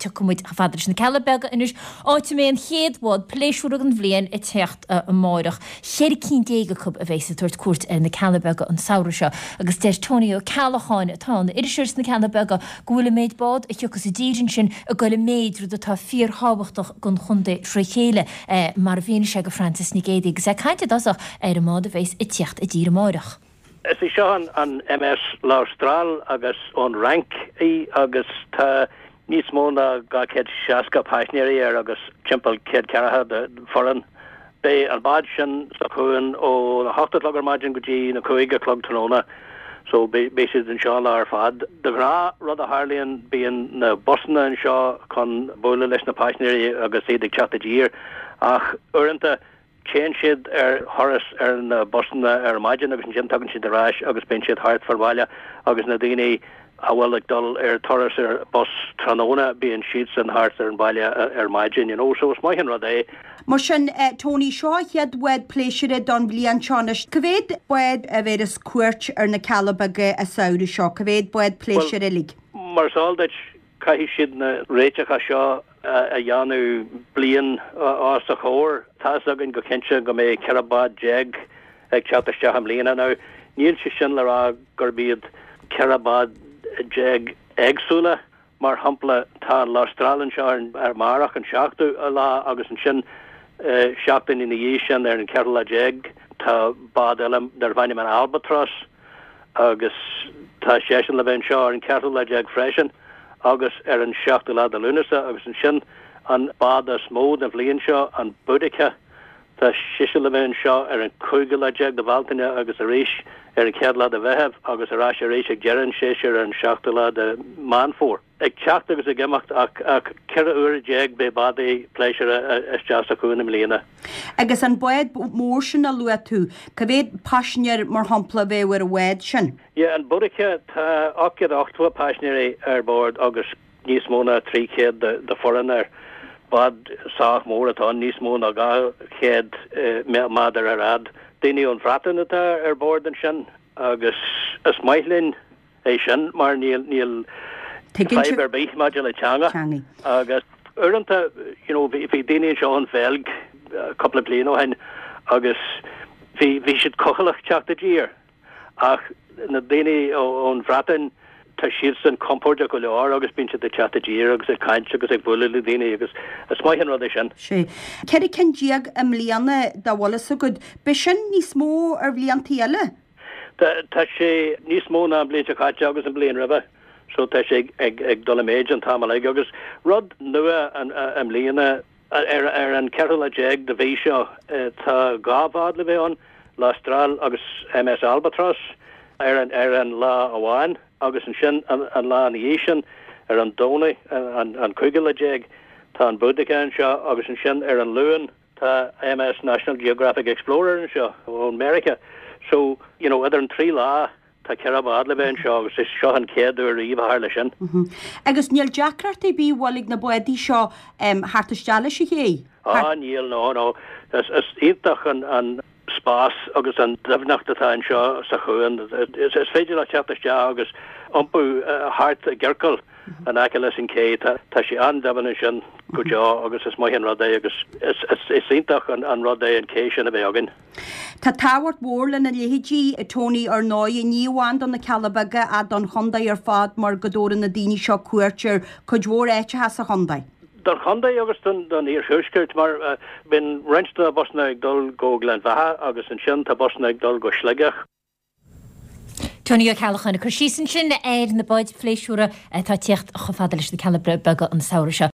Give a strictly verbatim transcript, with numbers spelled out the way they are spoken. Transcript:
tiocfaidh muid chomh fada leis na Cealla Beaga anois, áit a mbeidh an chéad bhád pléisiúra den bhliain ag teacht amáireach. Cheithre cinn déag acu a bheas ag tabhairt cuairt ar na Cealla Beaga an samhradh seo agus deir Tony Ó Ceallacháin, atá ina iriseoir sna Cealla Beaga, go bhfuil an méid bád a thiocfas i dtír ansin ag dul i méid, rud atá fíorthábhachtach don chontae tré chéile, mar a mhínigh sé do Frances Nic Géadaigh agus é ag caint i dtosach ar an mbád a bheas ag tíocht i dtír amáireach. Is í seo an MS L'Austral agus ón Fhrainc í agus tá níos mó ná dhá chéad seasca paisinéirí air agus timpeall céad ceathracha de foireann. Beidh an bád sin sa chuan ó a hocht a chlog ar maidin go dtí na cúig a chlog tráthnóna so beidh siad anseo an lá ar fad. De ghnáth rud a tharlaíonn bíonn na busanna anseo chun bualadh leis na paisinéirí agus iad ag teacht i dtír ach uaireanta téann siad ar thuras ar na busanna ar maidin agus ansin tagann siad ar ais agus bíonn siad thart fán bhaile agus na daoine a bhfuil ag dul ar turas ar bus tráthnóna bíonn siadsan thart ar an bhaile ar maidin you know so is maith an rud é. Mar sin, Tony, seo an chéad bhád pléisiúir don bhliain seo anois. Cá mhéad bád a bhéarfas cuairt ar na Cealla Beaga an samhradh seo? Cá mhéad bád pléisiúir uilig? Mar is eol duit, caithfidh siad na réiteacha seo a dhéanamh bliain os a chomhair. Tá's againn go cinnte go mbeidh ceithre bád déag ag teacht isteach i mbliana. Now, níl sé sin le rá gurb iad ceithre bád déag éagsúla. Mar shampla, tá an L'Austral anseo ar amárach an seachtú lá agus ansin seachtain ina dhiaidh sin ar an ceathrú lá déag tá bád eile darb ainm an Albatross agus tá seisean le bheith anseo ar an ceathrú lá déag freisin agus ar an seachtú lá de Lúnasa agus ansin an bád is mó den bhliain seo, an Boudica, tá sise le bheith anseo ar an cúigiú lá déag de Bhealtaine agus arís ar an chéad lá de Mheitheamh agus ar ais arís ag deireadh an tséasúir ar an seachtú lá de Meán Fómhair. Ag teacht agus ag imeacht ach ach ceithre huaire déag beidh bádaí pléisiúra isteach sa chuan i mbliana. Agus an bád mór sin a luaigh tú, cá mhéad paisinéir mar shampla a bheadh ar an bhád sin? Yeah, an Boudica, tá ocht gcéad ochtó paisinéirí ar bord agus níos mó ná trí chéad de foireann air. Bád sách mór atá ann, níos mó ná dhá chéad méadar ar fhad. Daoine ón Bhreatain atá ar bord ansin agus is maith linn é sin mar níl níl fadhb ar bith maidir le teanga agus uaireanta you know bhí bhí daoine anseo ón Bheilg cúpla bliain ó shin agus bhí bhí siad cúthaileach teacht i dtír ach na daoine ón Bhreatain tá siadsan compordach go leor agus bíonn siad ag teacht i dtír agus ag caint agus ag bualadh le daoine agus is maith an rud é sin. Sea. Ceithre cinn déag i mbliana dá bhfuil fhios agat. B'é sin níos mó ar bhliantaí eile? Tá sé níos mó ná an bhliain seo caite agus an bhliain roimhe so tá sé ag ag dul i méid an t-am uilig agus rud nua i mbliana ar ar an ceathrú lá déag de mhí seo tá dhá bhád le bheith ann, L'Austral agus MS Albatross ar an ar an lá amháin agus ansin an an lá ina dhiaidh sin ar an Domhnach an an cúigiú lá déag tá an Boudica anseo agus ansin ar an Luan Tá MS National Geographic Explorer anseo ón Meiriceá so you know idir an trí lá tá ceithre bhád le bheith anseo agus is seo an chéad uair riamh a tharla sin. Agus níl deacracht ar bith an bhfuil ag na bádaí seo theacht isteach leis a chéile? Ah níl no no is is iontach an an spás agus an doimhneacht atá anseo sa chuan. Is is féidir leat teacht isteach agus iompú thart i gciorcal in aice leis an ché. Tá sé an-doimhin ansin go deo agus is maith an rud é agus is iontach an rud é an cé sin a bheith againn. Tá tábhacht mhór lena leithéidí, Tony, ar ndóigh, ní amháin do na Cealla Beaga ach don chontae ar fad mar go dtabharann na daoine seo cuairt ar cuid mhór áiteacha sa chontae. Don chontae agus don iarthuaisceart mar bíonn roinnt de na busanna ag dul go Gleann Bheatha agus ansin tá busanna ag dul go Sligeach. Tony Ó Ceallacháin ag cur síos ansin ar na báid phléisiúra atá ag tíocht chomh fada leis na Cealla Beaga an samhradh seo.